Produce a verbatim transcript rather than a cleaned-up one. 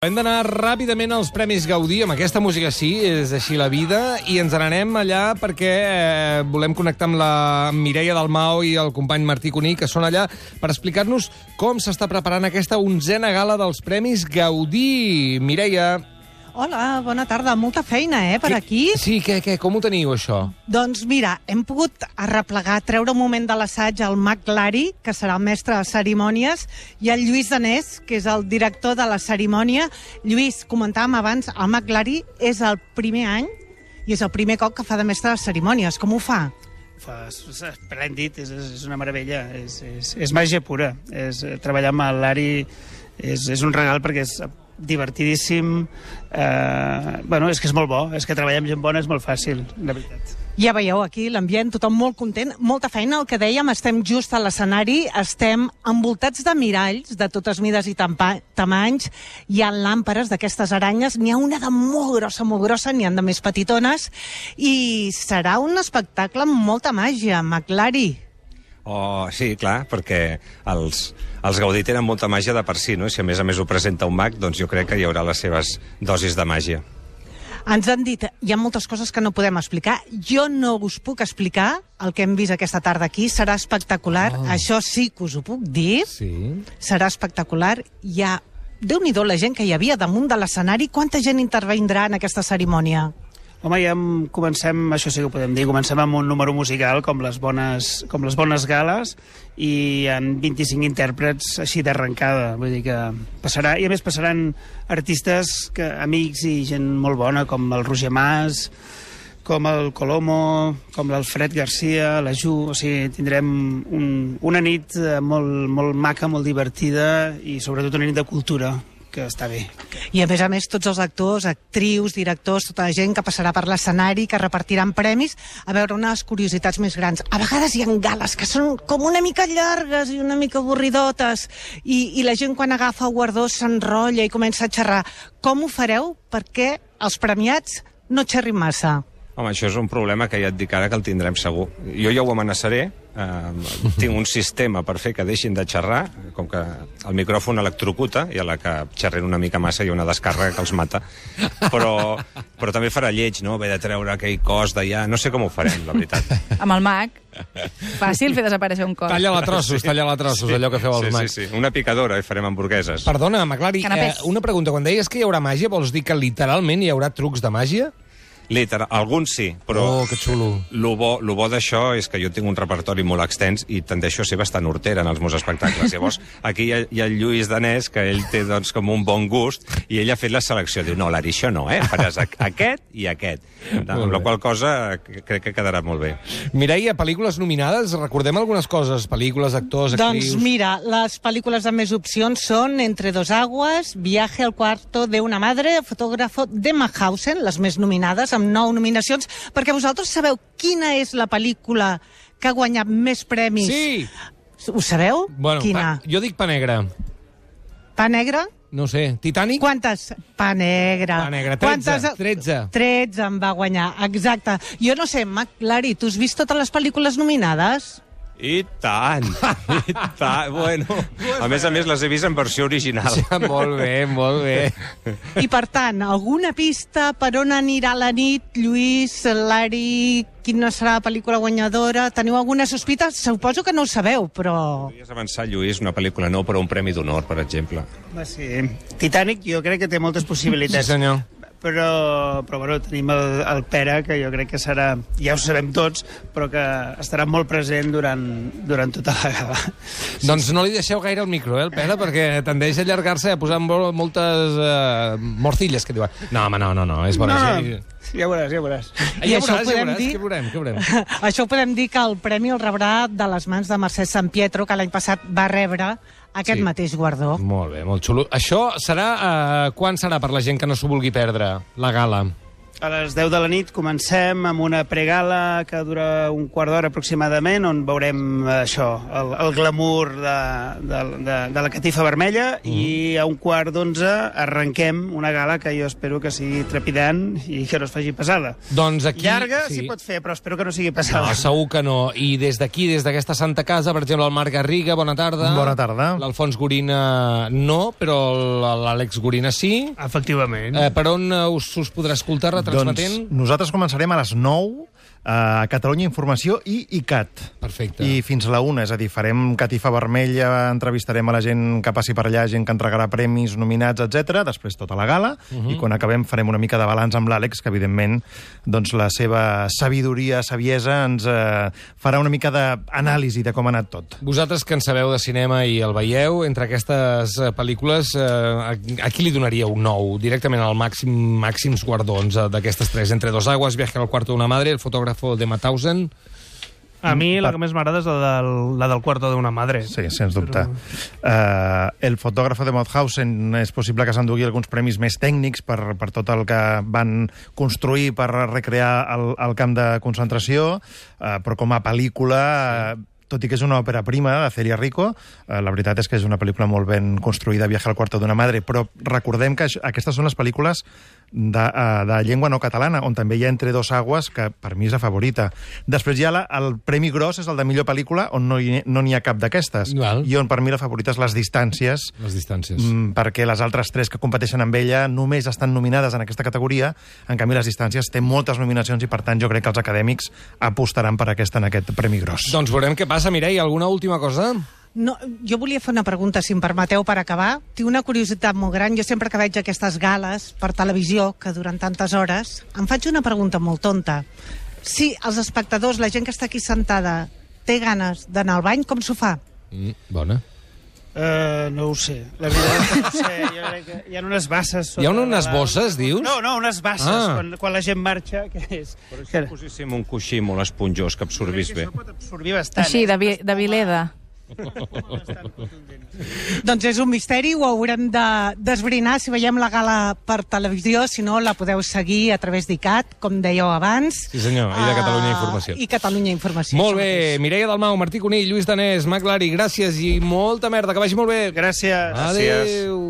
Hem d'anar ràpidament als Premis Gaudí, amb aquesta música sí, és així la vida, i ens n'anem allà perquè eh, volem connectar amb la Mireia Dalmau i el company Martí Cuní, que són allà per explicar-nos com s'està preparant aquesta onzena gala dels Premis Gaudí. Mireia... Hola, bona tarda. Molta feina, eh, per que, aquí. Sí, què, què, com ho teniu, això? Doncs mira, hem pogut arreplegar, treure un moment de l'assaig al Mac Lari, que serà el mestre de cerimònies, i el Lluís Danés, que és el director de la cerimònia. Lluís, comentàvem abans, el Mac Lari és el primer any i és el primer cop que fa de mestre de cerimònies. Com ho fa? Fa, és esplèndid, és, és una meravella, és, és, és màgia pura. És, treballar amb el Lari és, és un regal perquè és divertidíssim. Eh, bueno, és que és molt bo, és que treballar amb gent bona és molt fàcil, la veritat. Ja veieu aquí l'ambient, tothom molt content, molta feina, el que dèiem, estem just a l'escenari, estem envoltats de miralls de totes mides i tamanys, hi ha làmperes d'aquestes aranyes, n'hi ha una de molt grossa, molt grossa, n'hi ha de més petitones, i serà un espectacle amb molta màgia, Mac Lari. Oh, sí, clar, perquè els, els Gaudí tenen molta màgia de per si, no? I si a més a més ho presenta un mag, doncs jo crec que hi haurà les seves dosis de màgia. Ens han dit, hi ha moltes coses que no podem explicar. Jo no us puc explicar el que hem vist aquesta tarda aquí. Serà espectacular. Oh. Això sí que us ho puc dir. Sí. Serà espectacular. Hi ha, Déu-n'hi-do, la gent que hi havia damunt de l'escenari. Quanta gent intervindrà en aquesta cerimònia? Home, ja comencem, això sí que ho podem dir, comencem amb un número musical com les bones, com les bones gales, i hi ha vint-i-cinc intèrprets així d'arrencada, vull dir que passarà, i a més passaran artistes que, amics i gent molt bona, com el Roger Mas, com el Colomo, com l'Alfred Garcia, la Ju, o sigui, tindrem un, una nit molt, molt maca, molt divertida, i sobretot una nit de cultura, que està bé. I a més a més tots els actors, actrius, directors, tota la gent que passarà per l'escenari, que repartiran premis, a veure unes curiositats més grans. A vegades hi ha gales que són com una mica llargues i una mica avorridotes, i, i la gent quan agafa el guardó s'enrotlla i comença a xerrar. Com ho fareu perquè els premiats no xerrin massa? Home, això és un problema que ja et dic ara que el tindrem segur. Jo ja ho amenaçaré, eh, tinc un sistema per fer que deixin de xerrar, com que el micròfon electrocuta, i a la que xerren una mica massa hi ha una descàrrega que els mata, però, però també farà lleig, no?, haver de treure aquell cos d'allà, no sé com ho farem, la veritat. Amb el mag, fàcil fer desaparèixer un cos. Talla-la a trossos, sí. talla-la a trossos, sí. Allò que feu els sí, mags. Sí, sí, una picadora i farem hamburgueses. Perdona, Maclari, eh, una pregunta. Quan deies que hi haurà màgia, vols dir que literalment hi haurà trucs de màgia? Literal, alguns sí, però oh, que xulo. Lo bo, lo bo d'això és que jo tinc un repertori molt extens i tendeixo a ser bastant hortera en els meus espectacles. Llavors, aquí hi ha, hi ha el Lluís Danés, que ell té doncs, com un bon gust, i ell ha fet la selecció. Diu, no, Lari, això no, eh? Faràs aquest i aquest. Amb la qual cosa crec que quedarà molt bé. Mireia, pel·lícules nominades, recordem algunes coses, pel·lícules, actors, actrius... Doncs mira, les pel·lícules amb més opcions són Entre dos aguas, Viaje al cuarto de una madre, Fotógrafo de Mauthausen, les més nominades, amb nou nominacions, perquè vosaltres sabeu quina és la pel·lícula que ha guanyat més premis? Sí! Ho sabeu? Bueno, quina? Pa, jo dic Pa Negre. Pa Negre? No sé, Titanic? Quantes? Pa Negre. Pa Negre, tretze. Quantes? tretze. tretze en va guanyar, exacte. Jo no sé, Mac Lari, tu has vist totes les pel·lícules nominades? I tant, i tant, bueno. A més a més, les he vist en versió original. Ja, molt bé, molt bé. I per tant, alguna pista per on anirà la nit, Lluís, Lari, quina serà la pel·lícula guanyadora? Teniu alguna sospita? Suposo que no ho sabeu, però... Podries avançar, Lluís, una pel·lícula no, però un premi d'honor, per exemple. Va, sí. Titanic jo crec que té moltes possibilitats. Sí, senyor. Però, però bueno, tenim el, el Pere, que jo crec que serà, ja ho sabem tots, però que estarà molt present durant, durant tota la gala. Doncs no li deixeu gaire el micro, eh, el Pere, perquè tendeix a allargar-se, a posar moltes uh, morcilles, que diuen. No, home, no, no, no, és bona. No, no. Ja veuràs, ja veuràs. I ja veuràs, ja veuràs, dir... què veurem, què veurem? Això ho podem dir que el premi el rebrà de les mans de Mercè San Pietro, que l'any passat va rebre aquest sí. mateix guardó. Molt bé, molt xulo. Això serà... Uh, quan serà per la gent que no s'ho vulgui perdre, la gala? A les deu de la nit comencem amb una pregala que dura un quart d'hora aproximadament, on veurem això, el, el glamour de, de, de, de la catifa vermella, mm. i a un quart d'onze arrenquem una gala que jo espero que sigui trepidant i que no es faci pesada. Doncs aquí... Llarga s'hi sí. pot fer, però espero que no sigui pesada. No, segur que no. I des d'aquí, des d'aquesta Santa Casa, per exemple, el Marc Garriga, bona tarda. Bona tarda. L'Alfons Gorina no, però l'Àlex Gorina sí. Efectivament. Eh, per on us, us podrà escoltar retransmetent? Doncs nosaltres començarem a les nou a Catalunya Informació i I C A T. Perfecte. I fins a la una, és a dir, farem catifa vermella, entrevistarem a la gent que passi per allà, gent que entregarà premis, nominats, etcètera. Després tota la gala, uh -huh. i quan acabem farem una mica de balanç amb l'Àlex, que evidentment doncs, la seva sabidoria, saviesa, ens eh, farà una mica d'anàlisi de com ha anat tot. Vosaltres que en sabeu de cinema i el veieu, entre aquestes eh, pel·lícules, eh, a, a qui li donaríeu un nou? Directament al màxim, màxims guardons eh, d'aquestes tres. Entre dos aguas, Viaje al cuarto de una madre, El fotògraf de Mauthausen. A mi la que més m'agrada és la del, la del cuarto d'una madre. Sí, sens dubte. Però... Uh, el fotògraf de Mauthausen és possible que s'endugui alguns premis més tècnics per, per tot el que van construir per recrear el, el camp de concentració, uh, però com a pel·lícula... Uh, tot i que és una òpera prima de Celia Rico, eh, la veritat és que és una pel·lícula molt ben construïda, Viaje al cuarto d'una madre, però recordem que aquestes són les pel·lícules de, uh, de llengua no catalana, on també hi ha Entre dos aguas, que per mi és la favorita. Després hi ha la, el Premi Gros, és el de millor pel·lícula, on no hi, no n'hi ha cap d'aquestes, i on per mi la favorita és Les distàncies, Les distàncies. Mm, perquè les altres tres que competeixen amb ella només estan nominades en aquesta categoria, en canvi Les distàncies té moltes nominacions i per tant jo crec que els acadèmics apostaran per aquesta en aquest Premi Gros. Doncs veurem què passa. Mireia, alguna última cosa? No, jo volia fer una pregunta, si em permeteu, per acabar. Tinc una curiositat molt gran. Jo sempre que veig aquestes gales per televisió, que duren tantes hores, em faig una pregunta molt tonta. Si els espectadors, la gent que està aquí sentada, té ganes d'anar al bany, com s'ho fa? Mm, bona. Uh, no ho sé. La veritat és que no ho sé. Jo crec que hi ha unes basses... Hi ha unes la... bosses, dius? No, no, unes basses. Ah. Quan, quan la gent marxa, què és? Però si poséssim un coixí molt esponjós que absorbís bé. Això pot absorbir bastant. Així, eh? de, vi, de Vileda. Doncs és un misteri, ho haurem de desbrinar si veiem la gala per televisió, si no la podeu seguir a través d'I C A T, com dèieu abans. Sí senyor, i de Catalunya Informació. I Catalunya Informació. Molt bé, Mireia Dalmau, Martí Conill, Lluís Danés, Mac Lari, gràcies i molta merda, que vagi molt bé. Gràcies. Adéu.